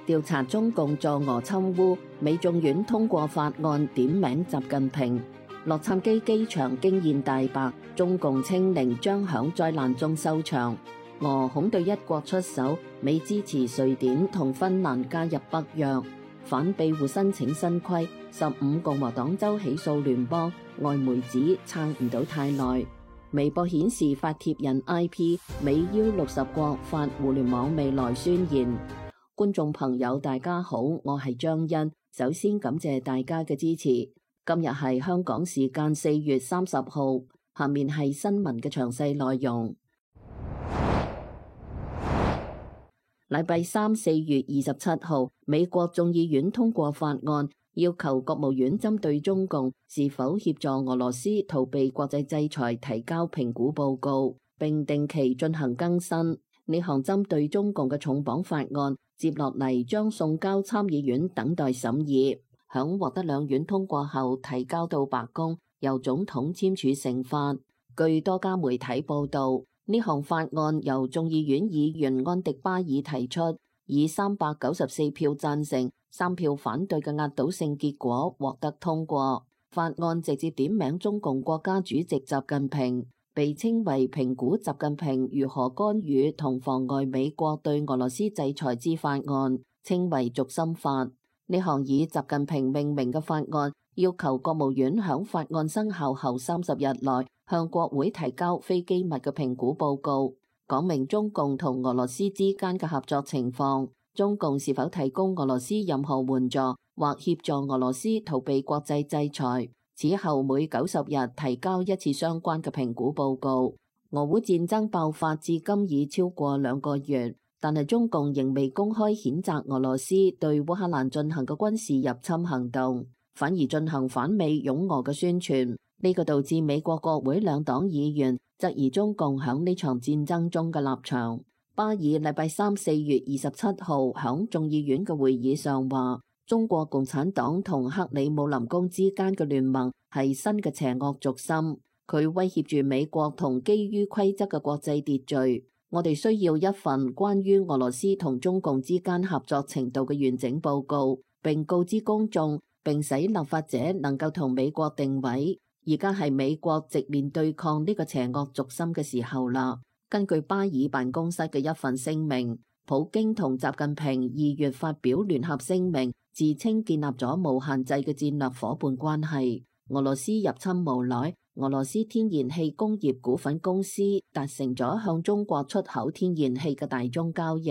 調查中共助俄侵烏，美眾院通過法案點名習近平。洛杉磯機場驚現大白，中共清零將響災難中收場。俄恐對一國出手，美支持瑞典同芬蘭加入北約。反庇護申請新規，15共和黨州起訴聯邦。外媒指撐唔到太耐。微博顯示發帖人 IP， 美邀60國發互聯網未來宣言。觀眾朋友大家好，我係張欣，首先感謝大家嘅支持。今日係香港時間4月30號，下面係新聞嘅詳細內容。禮拜三4月27號，美國眾議院通過法案，要求國務院針對中共是否協助俄羅斯逃避國際制裁提交評估報告，並定期進行更新。呢項針對中共嘅重磅法案，接落嚟將送交參議院等待審議，響獲得兩院通過後提交到白宮，由總統簽署成法。據多家媒體報道，呢項法案由眾議院議員安迪巴爾提出，以394票贊成、3票反對嘅壓倒性結果獲得通過。法案直接點名中共國家主席習近平，被稱為評估習近平如何干預同妨礙美國對俄羅斯制裁之法案，稱為軸心法。呢項以習近平命名嘅法案，要求國務院響法案生效後30日內向國會提交非機密嘅評估報告，講明中共同俄羅斯之間嘅合作情況，中共是否提供俄羅斯任何援助或協助俄羅斯逃避國際制裁。此後每90日提交一次相關嘅評估報告。俄烏戰爭爆發至今已超過2個月，但係中共仍未公開譴責俄羅斯對烏克蘭進行嘅軍事入侵行動，反而進行反美擁俄嘅宣傳。呢個導致美國國會兩黨議員質疑中共響呢場戰爭中嘅立場。巴爾禮拜三4月27號響眾議院嘅會議上話，中國共產黨同克里姆林宮之間嘅聯盟係新嘅邪惡軸心，佢威脅住美國同基於規則嘅國際秩序。我哋需要一份關於俄羅斯同中共之間合作程度嘅完整報告，並告知公眾，並使立法者能夠同美國定位。而家係美國直面對抗呢個邪惡軸心嘅時候啦。根據巴爾辦公室嘅一份聲明，普京同習近平2月發表聯合聲明，自稱建立咗無限制嘅戰略夥伴關係。俄羅斯入侵無奈，俄羅斯天然氣工業股份公司達成咗向中國出口天然氣嘅大宗交易，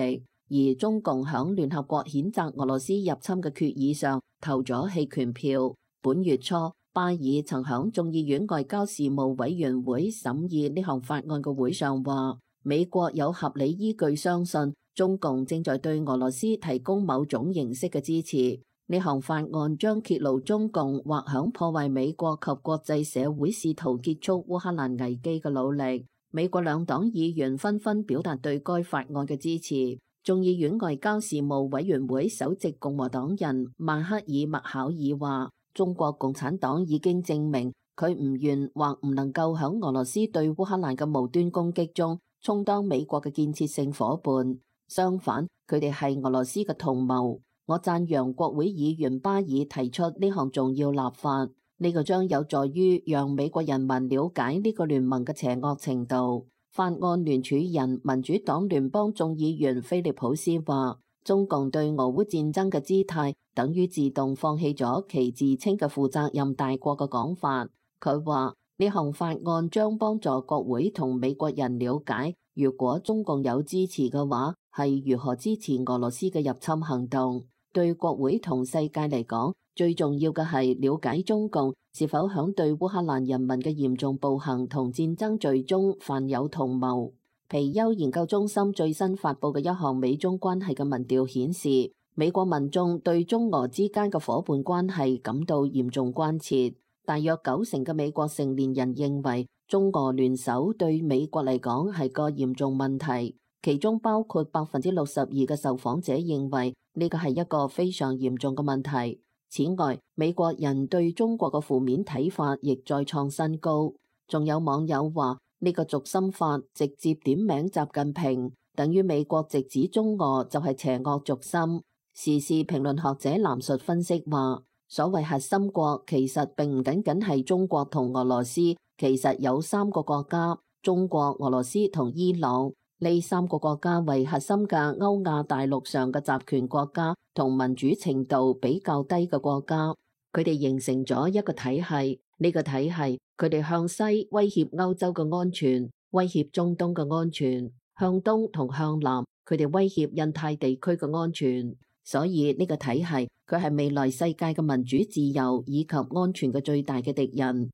而中共響聯合國譴責俄羅斯入侵嘅決議上投咗棄權票。本月初，巴爾曾響眾議院外交事務委員會審議呢項法案嘅會上話，美國有合理依據相信中共正在對俄羅斯提供某種形式嘅支持。呢項法案將揭露中共或響破壞美國及國際社會試圖結束烏克蘭危機嘅努力。美國兩黨議員紛紛表達對該法案嘅支持。眾議院外交事務委員會首席共和黨人曼克爾麥考爾話，中國共產黨已經證明佢唔願或唔能夠響俄羅斯對烏克蘭嘅無端攻擊中充當美國嘅建設性夥伴，相反，佢哋係俄羅斯嘅同謀。我讚揚國會議員巴爾提出呢項重要立法，呢個將有助於讓美國人民了解呢個聯盟嘅邪惡程度。法案聯署人民主黨聯邦眾議員菲利普斯話，中共對俄烏戰爭嘅姿態等於自動放棄咗其自稱嘅負責任大國嘅講法。佢話呢項法案將幫助國會同美國人了解，如果中共有支持嘅話，係如何支持俄羅斯嘅入侵行動。對國會同世界嚟講，最重要嘅係了解中共是否響對烏克蘭人民嘅嚴重暴行同戰爭罪中犯有同謀。皮尤研究中心最新發佈嘅一項美中關係嘅民調顯示，美國民眾對中俄之間嘅夥伴關係感到嚴重關切。大約90%嘅美國成年人認為中俄聯手對美國嚟講係個嚴重問題，其中包括62%嘅受訪者認為呢個係一個非常嚴重嘅問題。此外，美國人對中國嘅負面睇法亦再創新高。仲有網友話，呢個軸心法直接點名習近平，等於美國直指中俄就係邪惡軸心。時事評論學者藍述分析話，所謂核心國其實並唔僅僅係中國同俄羅斯，其實有3個國家：中國、俄羅斯同伊朗。呢3個國家為核心嘅歐亞大陸上嘅集權國家同民主程度比較低嘅國家，佢哋形成咗一個體系。呢個體系佢哋向西威脅歐洲嘅安全，威脅中東嘅安全；向東同向南佢哋威脅印太地區嘅安全。所以呢個體系佢係未來世界嘅民主自由以及安全嘅最大嘅敵人。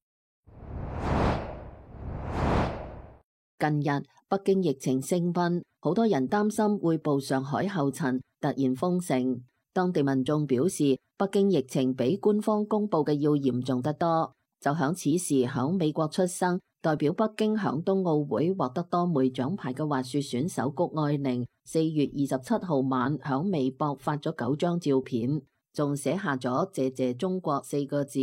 近日北京疫情升溫，好多人擔心會步上海後塵，突然封城。當地民眾表示，北京疫情比官方公佈嘅要嚴重得多。就響此時，響美國出生，代表北京響冬奧會獲得多枚獎牌嘅滑雪選手谷愛凌，4月27號晚響微博發咗9張照片，仲寫下咗謝謝中國4個字，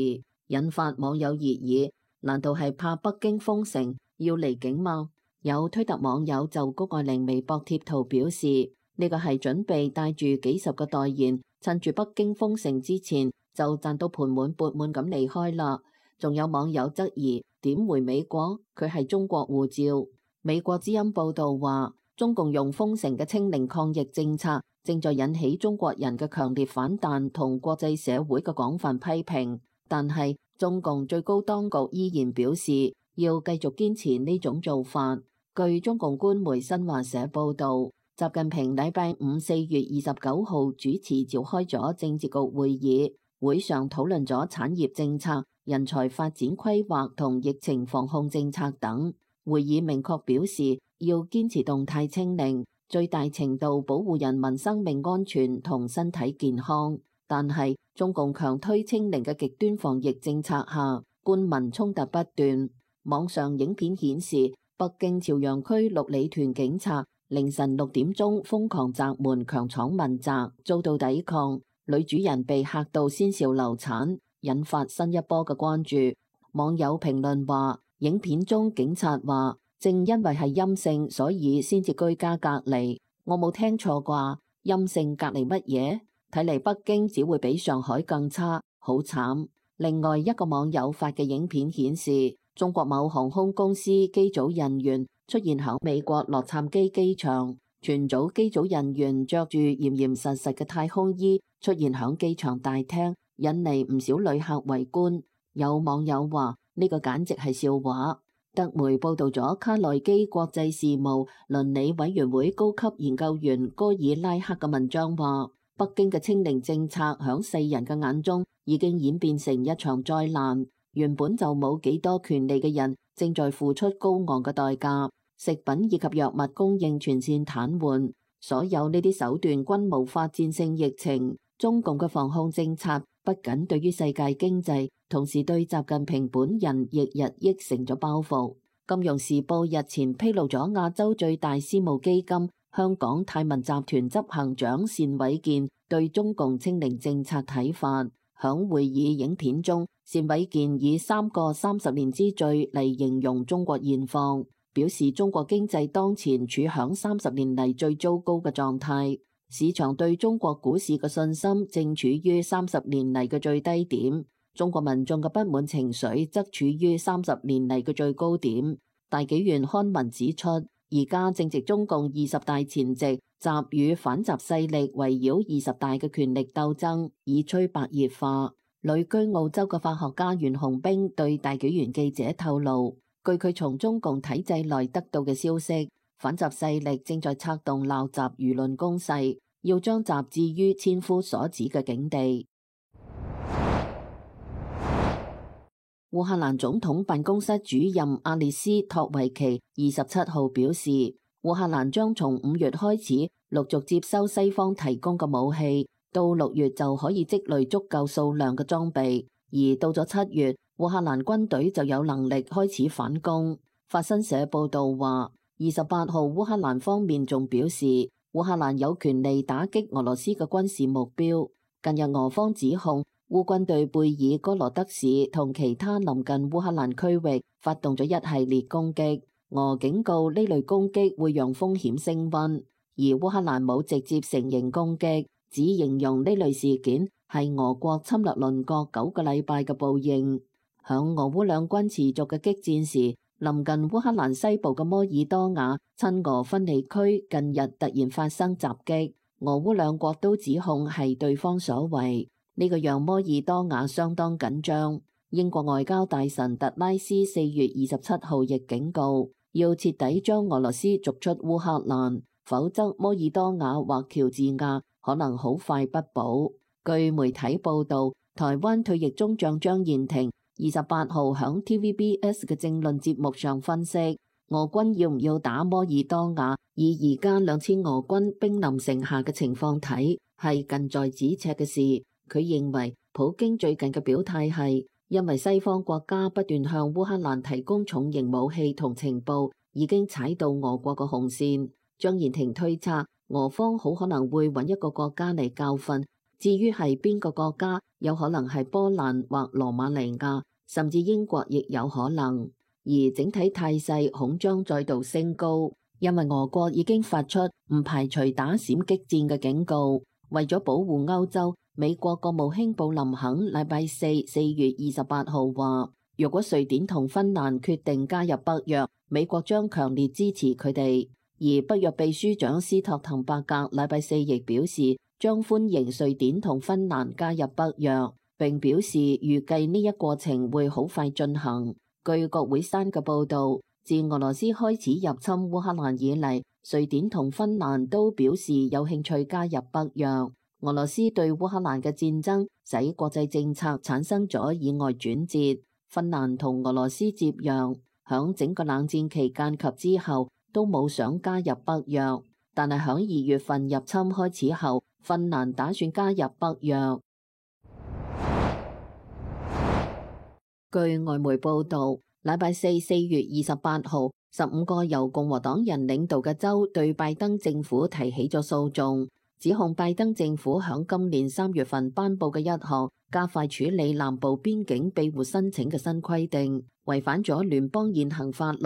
引發網友熱議。難道係怕北京封城要離境嗎？有推特網友就谷愛凌微博貼圖表示，呢個係準備帶住幾十個代言，趁住北京封城之前就賺到盆滿缽滿咁離開啦。仲有網友質疑，點回美國？佢係中國護照。美國之音報道話，中共用封城嘅清零抗疫政策正在引起中國人嘅強烈反彈同國際社會嘅廣泛批評，但係中共最高當局依然表示要繼續堅持呢種做法。據中共官媒新華社報道，習近平禮拜五4月29號主持召開咗政治局會議，會上討論咗產業政策、人才發展規劃同疫情防控政策等。會議明確表示要堅持動態清零，最大程度保護人民生命安全同身體健康。但係中共強推清零嘅極端防疫政策下，官民衝突不斷。網上影片顯示，北京朝陽區六里屯警察凌晨6點鐘瘋狂砸門強闖民宅，遭到抵抗，女主人被嚇到先兆流產，引發新一波嘅關注。網友評論話，影片中警察話正因為係陰性，所以先至居家隔離。我冇聽錯啩？陰性隔離乜嘢？睇嚟北京只會比上海更差，好慘。另外一個網友發嘅影片顯示，中國某航空公司機組人員出現喺美國洛杉磯機場，全組機組人員着住嚴嚴實實嘅太空衣出現喺機場大廳，引嚟唔少旅客圍觀。有網友話呢個簡直係笑話。德媒報道咗卡內基國際事務倫理委員會高級研究員戈爾拉克嘅文章話，北京嘅清零政策喺世人嘅眼中已經演變成一場災難。原本就冇幾多權利嘅人正在付出高昂嘅代價，食品以及藥物供應全線癱瘓，所有呢啲手段均無法戰勝疫情。中共嘅防控政策不僅對於世界經濟，同時對習近平本人亦日益成咗包袱。金融時報日前披露咗亞洲最大私募基金香港泰民集團執行長單偉健對中共清零政策睇法。響會議影片中，單偉健以3個30年之最嚟形容中國現況，表示中國經濟當前處響30年嚟最糟糕嘅狀態，市場對中國股市嘅信心正處於30年嚟嘅最低點，中國民眾嘅不滿情緒則處於30年嚟嘅最高點。大紀元刊文指出，而家正值中共20大前夕，習與反習勢力圍繞20大嘅權力鬥爭已趨白熱化。旅居澳洲嘅法學家袁洪兵對大紀元記者透露，據佢從中共體制內得到嘅消息，反習勢力正在策動鬧習輿論攻勢，要將習置於千夫所指嘅境地。烏克蘭總統辦公室主任阿列斯托維奇27號表示，烏克蘭將從5月開始陸續接收西方提供嘅武器，到6月就可以積累足夠數量嘅裝備，而到咗7月，烏克蘭軍隊就有能力開始反攻。法新社報道話，28號烏克蘭方面仲表示，烏克蘭有權利打擊俄羅斯嘅軍事目標。近日俄方指控烏軍對貝爾哥羅德市同其他臨近烏克蘭區域發動咗一系列攻擊，俄警告呢類攻擊會讓風險升溫，而烏克蘭冇直接承認攻擊，只形容呢類事件係俄國侵略鄰國9個禮拜嘅報應。響俄烏兩軍持續嘅激戰時，臨近烏克蘭西部嘅摩爾多瓦親俄分離區近日突然發生襲擊，俄烏兩國都指控係對方所為，呢個讓摩爾多瓦相當緊張。英國外交大臣特拉斯4月27號亦警告，要徹底將俄羅斯逐出烏克蘭，否則摩爾多瓦或喬治亞可能好快不保。據媒體報道，台灣退役中將張彥廷28號響 TVBS 嘅政論節目上分析，俄軍要唔要打摩爾多瓦，以而家2000俄軍兵臨城下嘅情況睇，係近在咫尺嘅事。佢認為普京最近嘅表態係因為西方國家不斷向烏克蘭提供重型武器同情報，已經踩到俄國嘅紅線。張彥廷推測，俄方好可能會揾一個國家嚟教訓，至於係邊個國家，有可能係波蘭或羅馬尼亞，甚至英國亦有可能。而整體態勢恐將再度升高，因為俄國已經發出唔排除打閃擊戰嘅警告。為咗保護歐洲，美國國務卿布林肯禮拜四4月28號話，若果瑞典同芬蘭決定加入北約，美國將強烈支持佢哋。而北約秘書長斯托滕伯格禮拜四亦表示，將歡迎瑞典同芬蘭加入北約，並表示預計呢一過程會好快進行。據國會山嘅報導，自俄羅斯開始入侵烏克蘭以嚟，瑞典同芬蘭都表示有興趣加入北約。俄羅斯對烏克蘭嘅戰爭使國際政策產生咗意外轉折。芬蘭同俄羅斯接壤，響整個冷戰期間及之後都冇想加入北約，但係響2月份入侵開始後，芬蘭打算加入北約。據外媒報導，禮拜四4月28號，15個由共和黨人領導嘅州對拜登政府提起咗訴訟，指控拜登政府響今年3月份頒布嘅一項加快處理南部邊境庇護申請嘅新規定，違反咗聯邦現行法律，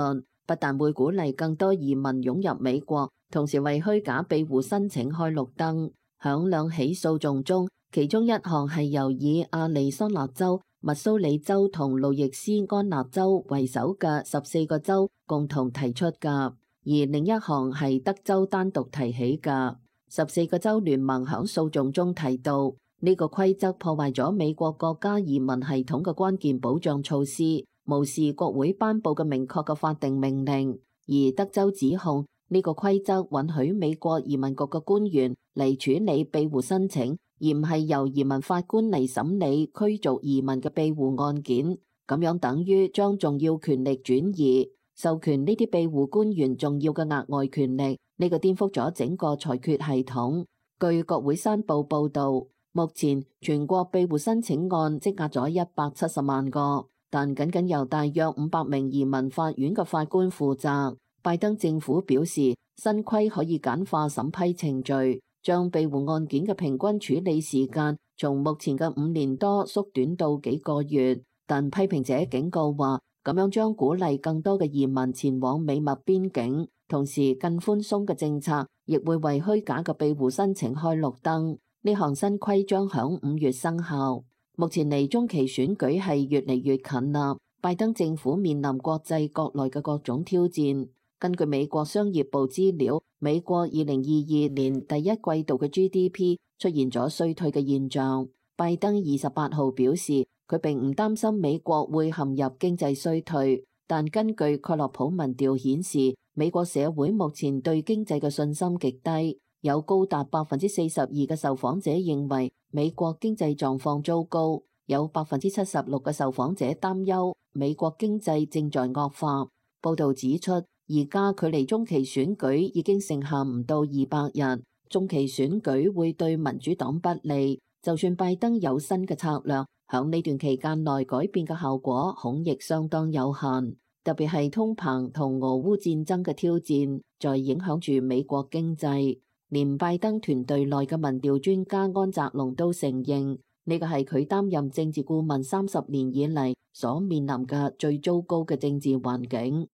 不但會鼓勵更多移民湧入美國，同時為虛假庇護申請開綠燈。響兩起訴訟中，其中一項係由以亞利桑那州、密蘇里州同路易斯安那州為首嘅14個州共同提出嘅，而另一項係德州單獨提起嘅。14個州聯盟響訴訟中提到，呢個規則破壞咗美國國家移民系統嘅關鍵保障措施，無視國會頒布嘅明確嘅法定命令。而德州指控呢個規則允許美國移民局嘅官員嚟處理庇護申請，而唔係由移民法官嚟審理驅逐移民嘅庇護案件。咁樣等於將重要權力轉移，授權呢啲庇護官員重要嘅額外權力。呢個顛覆咗整個裁決系統。據國會山報報導，目前全國庇護申請案積壓咗170萬個，但僅僅由大約500名移民法院嘅法官負責。拜登政府表示，新規可以簡化審批程序，將庇護案件嘅平均處理時間從目前嘅5年多縮短到幾個月。但批評者警告話，咁樣將鼓勵更多嘅移民前往美墨邊境，同時更寬鬆嘅政策亦會為虛假嘅庇護申請開綠燈。呢項新規將響5月生效。目前離中期選舉係越嚟越近啦，拜登政府面臨國際國內嘅各種挑戰。根據美國商業部資料，美國2022年第一季度嘅 GDP 出現咗衰退嘅現象。拜登28號表示，佢並唔擔心美國會陷入經濟衰退，但根據蓋洛普民調顯示，美國社會目前對經濟嘅信心極低，有高達42%嘅受訪者認為美國經濟狀況糟糕，有76%嘅受訪者擔憂美國經濟正在惡化。報導指出，而家距離中期選舉已經剩下唔到200日，中期選舉會對民主黨不利。就算拜登有新嘅策略，響呢段期間內改變嘅效果恐亦相當有限。特別係通膨同俄烏戰爭嘅挑戰，在影響住美國經濟。連拜登團隊內嘅民調專家安澤龍都承認，呢個係佢擔任政治顧問30年以嚟所面臨嘅最糟糕嘅政治環境。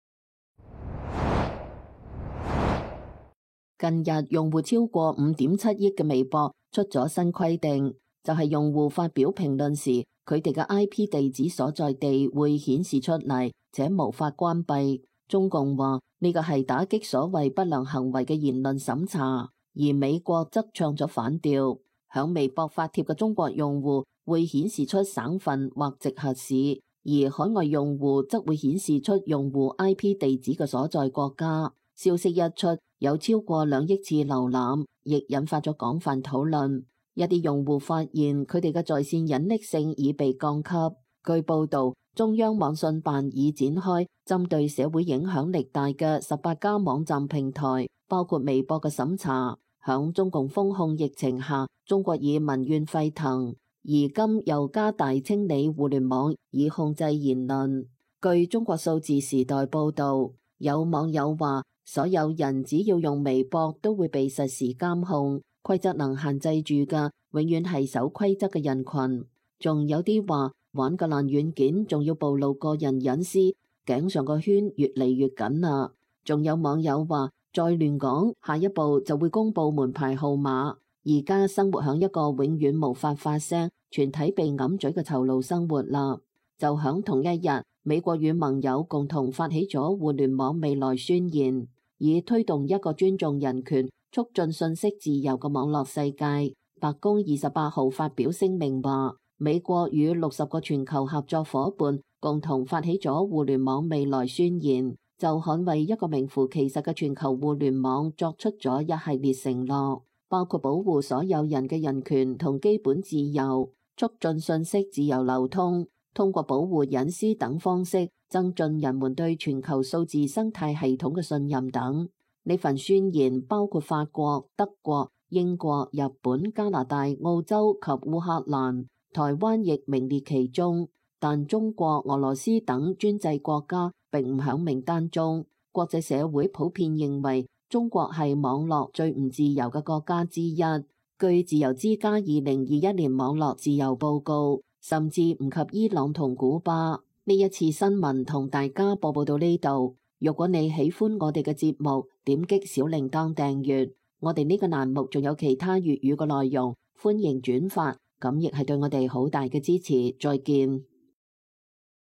近日用戶超過5.7億嘅微博出咗新規定，就係用戶發表評論時，佢哋嘅 IP 地址所在地會顯示出嚟，且無法關閉。中共話呢個係打擊所謂不良行為嘅言論審查，而美國則唱咗反調。響微博發帖嘅中國用戶會顯示出省份或直轄市，而海外用戶則會顯示出用戶 IP 地址嘅所在國家。消息一出，有超過2億次瀏覽，亦引發咗廣泛討論。一啲用戶發現佢哋嘅在線隱匿性已被降級。據報導，中央網信辦已展開針對社會影響力大嘅18家網站平台，包括微博嘅審查。響中共封控疫情下，中國以民怨沸騰，而今又加大清理互聯網以控制言論。據中國數字時代報導，有網友話，所有人只要用微博都會被實時監控，規則能限制住嘅永遠係守規則嘅人群。仲有啲話玩個爛軟件仲要暴露個人隱私，頸上個圈越嚟越緊啦。仲有網友話，再亂講，下一步就會公布門牌號碼。而家生活響一個永遠無法發聲、全體被揞嘴嘅囚牢生活啦。就響同一日，美國與盟友共同發起咗互聯網未來宣言，以推動一個尊重人權、促進信息自由嘅網絡世界。白宮28號發表聲明話，美國與60個全球合作夥伴共同發起咗互聯網未來宣言，就捍衛一個名副其實嘅全球互聯網作出咗一系列承諾，包括保護所有人嘅人權同基本自由，促進信息自由流通，通過保護隱私等方式增進人們對全球數字生態系統嘅信任等。呢份宣言包括法國、德國、英國、日本、加拿大、澳洲及烏克蘭，台灣亦名列其中，但中國、俄羅斯等專制國家並唔響名單中。國際社會普遍認為中國係網絡最唔自由嘅國家之一。據自由之家2021年網絡自由報告，甚至唔及伊朗同古巴。呢一次新聞同大家播報到呢度。如果你喜歡我哋嘅節目，點擊小鈴鐺訂閱。我哋呢個欄目仲有其他粵語嘅內容，歡迎轉發，咁亦係對我哋好大嘅支持。再見。